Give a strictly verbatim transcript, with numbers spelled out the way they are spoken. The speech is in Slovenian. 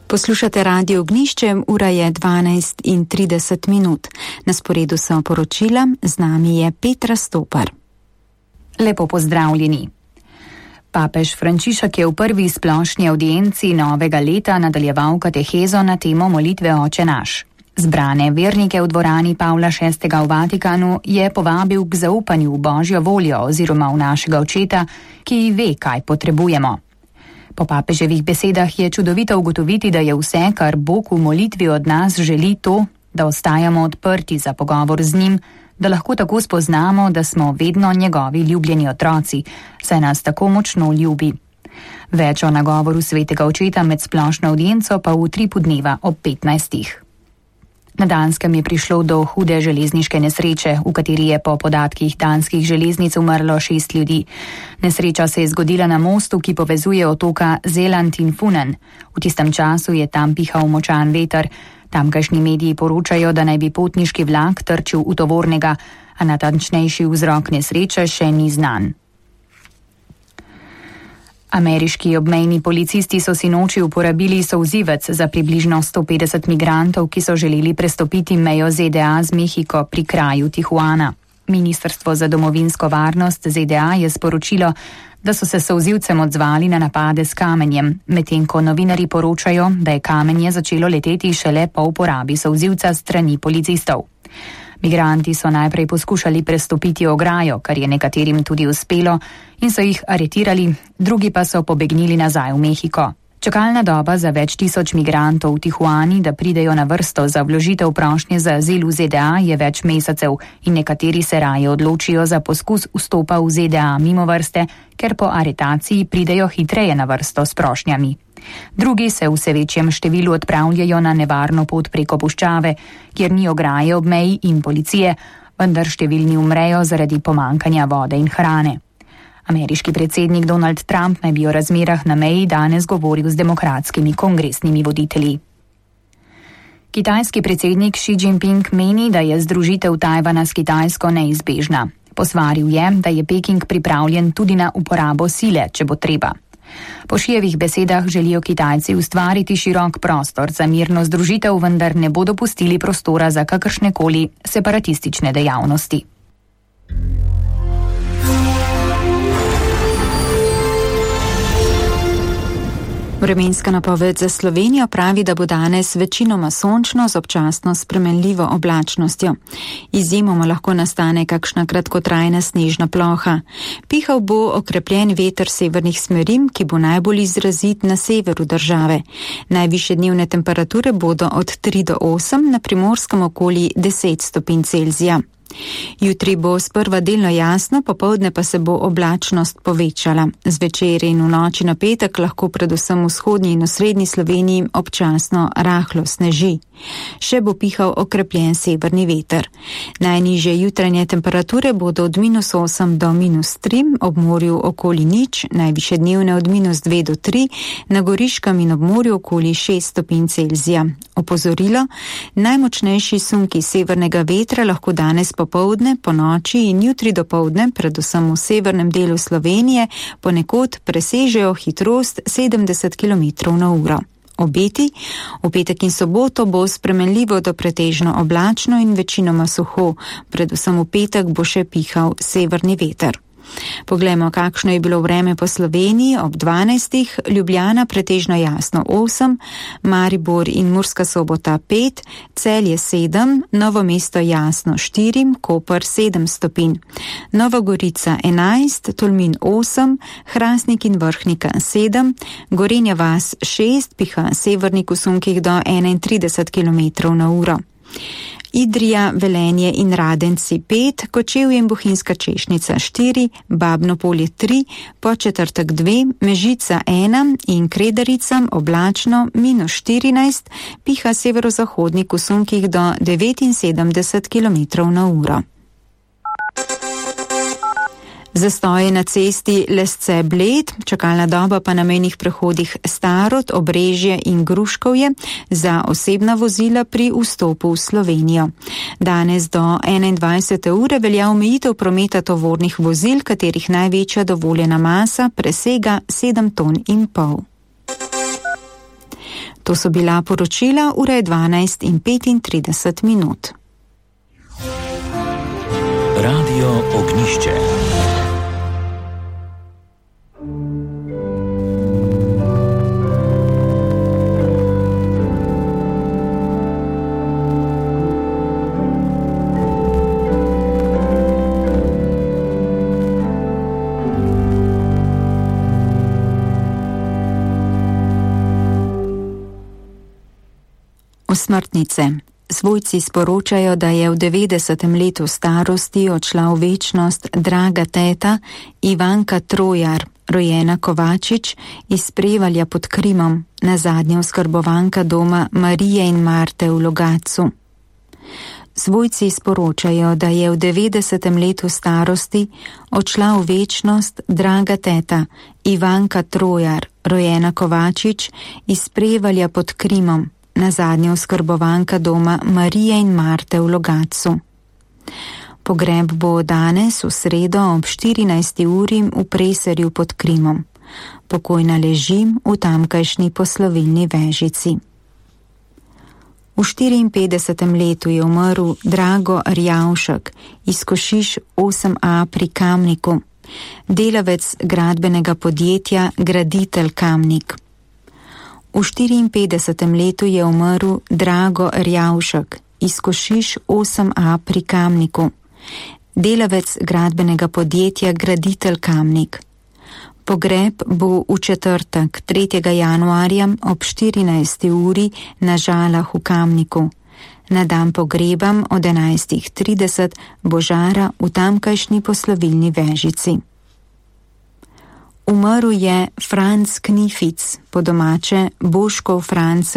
Poslušate Radio Ognjišče, ura je dvanajst in trideset minut. Na sporedu so poročila, z nami je Petra Stopar. Lepo pozdravljeni. Papež Frančišek je v prvi splošni avdienci novega leta nadaljeval katehezo na temo molitve Oče naš. Zbrane vernike v dvorani Pavla šestega v Vatikanu je povabil k zaupanju v Božjo voljo oziroma v našega Očeta, ki ve, kaj potrebujemo. Po papeževih besedah je čudovito ugotoviti, da je vse, kar Bog v molitvi od nas želi, to, da ostajamo odprti za pogovor z njim, da lahko tako spoznamo, da smo vedno njegovi ljubljeni otroci, saj nas tako močno ljubi. Več o nagovoru svetega Očeta med splošno avdienco pa v utripu dneva ob petnajstih. Na Danskem je prišlo do hude železniške nesreče, v kateri je po podatkih danskih železnic umrlo šest ljudi. Nesreča se je zgodila na mostu, ki povezuje otoka Zeland in Funen. V tistem času je tam pihal močan veter. Tamkajšnji mediji poročajo, da naj bi potniški vlak trčil v tovornega, a natančnejši vzrok nesreče še ni znan. Ameriški obmejni policisti so sinoči uporabili solzivec za približno sto petdeset migrantov, ki so želeli prestopiti mejo Z D A z Mehiko pri kraju Tijuana. Ministrstvo za domovinsko varnost Z D A je sporočilo, da so se solzivcem odzvali na napade s kamenjem, medtem ko novinarji poročajo, da je kamenje začelo leteti šele po uporabi solzivca strani policistov. Migranti so najprej poskušali prestopiti ograjo, kar je nekaterim tudi uspelo, in so jih aretirali, drugi pa so pobegnili nazaj v Mehiko. Čakalna doba za več tisoč migrantov v Tijuani, da pridejo na vrsto za vložitev prošnje za azil v Z D A, je več mesecev in nekateri se raje odločijo za poskus vstopa v Z D A mimo vrste, ker po aretaciji pridejo hitreje na vrsto s prošnjami. Drugi se v vse večjem številu odpravljajo na nevarno pot preko puščave, kjer ni ograje ob meji in policije, vendar številni umrejo zaradi pomankanja vode in hrane. Ameriški predsednik Donald Trump naj bi o razmerah na meji danes govoril z demokratskimi kongresnimi voditelji. Kitajski predsednik Xi Jinping meni, da je združitev Tajvana s Kitajsko neizbežna. Posvaril je, da je Peking pripravljen tudi na uporabo sile, če bo treba. Po Šijevih besedah želijo Kitajci ustvariti širok prostor za mirno združitev, vendar ne bodo pustili prostora za kakršnekoli separatistične dejavnosti. Vremenska napoved za Slovenijo pravi, da bo danes večinoma sončno z občasno spremenljivo oblačnostjo. Izjemoma lahko nastane kakšna kratkotrajna snežna ploha. Pihal bo okrepljen veter severnih smeri, ki bo najbolj izrazit na severu države. Najvišje dnevne temperature bodo od tri do osem, na Primorskem okoli deset stopinj Celzija. Jutri bo sprva delno jasno, popoldne pa se bo oblačnost povečala. Zvečer in v noči na petek lahko predvsem v vzhodnji in osrednji Sloveniji občasno rahlo sneži. Še bo pihal okrepljen severni veter. Najnižje jutranje temperature bodo od minus osem do minus tri, ob morju okoli nič, najvišje dnevne od minus dve do tri, na Goriškem in ob morju okoli šest stopinj Celzija. Opozorilo, najmočnejši sunki severnega vetra lahko danes popoldne, po noči in jutri dopoldne, predvsem v severnem delu Slovenije, ponekod presežejo hitrost sedemdeset kilometrov na uro. Obeti, v petek in soboto bo spremenljivo do pretežno oblačno in večinoma suho, predvsem v petek bo še pihal severni veter. Poglejmo, kakšno je bilo vreme po Sloveniji ob dvanajstih, Ljubljana pretežno jasno osem, Maribor in Murska Sobota pet, Celje sedem, Novo mesto jasno štiri, Koper sedem stopinj, Nova Gorica enajst, Tolmin osem, Hrastnik in Vrhnika sedem, Gorenja vas šest, piha severnik v sunkih do enaintrideset kilometrov na uro. Idrija, Velenje in Radenci pet, Kočevje in Bohinjska Češnica štiri, Babno Polje tri, Podčetrtek dve, Mežica ena in Kredarica oblačno minus štirinajst, piha severozahodnik v sunkih do devetinsedemdeset kilometrov na uro. Zastoje na cesti Lesce-Bled, čakalna doba pa na mejnih prehodih Starod, Obrežje in Gruškovje za osebna vozila pri vstopu v Slovenijo. Danes do enaindvajsete ure velja omejitev prometa tovornih vozil, katerih največja dovoljena masa presega sedem ton in pol. To so bila poročila, ura je dvanajst in petintrideset minut. Radio Ognišče. Osmrtnice. Svojci sporočajo, da je v devetdesetem letu starosti odšla v večnost draga teta Ivanka Trojar, rojena Kovačič iz Prevalja pod Krimom, nazadnje oskrbovanka doma Marije in Marte v Logatcu. Svojci sporočajo, da je v devetdesetem letu starosti odšla v večnost draga teta Ivanka Trojar, rojena Kovačič iz Prevalja pod Krimom, nazadnje oskrbovanka doma Marije in Marte v Logatcu. Pogreb bo danes v sredo ob štirinajsti uri v Preserju pod Krimom. Pokojna leži v tamkajšnji poslovilni vežici. V štiriinpetdesetem letu je umrl Drago Rjavšek iz Košiš osem a pri Kamniku, delavec gradbenega podjetja Graditelj Kamnik. V štiriinpetdesetem letu je umrl Drago Rjavšek iz Košiš osem a pri Kamniku, delavec gradbenega podjetja Graditelj Kamnik. Pogreb bo v četrtek, tretjega januarja ob štirinajsti uri na Žalah v Kamniku. Na dan pogrebam od enajstih trideset bo žara v tamkajšnji poslovilni vežici. Umrl je Franc Knific, po domače Boškov Franc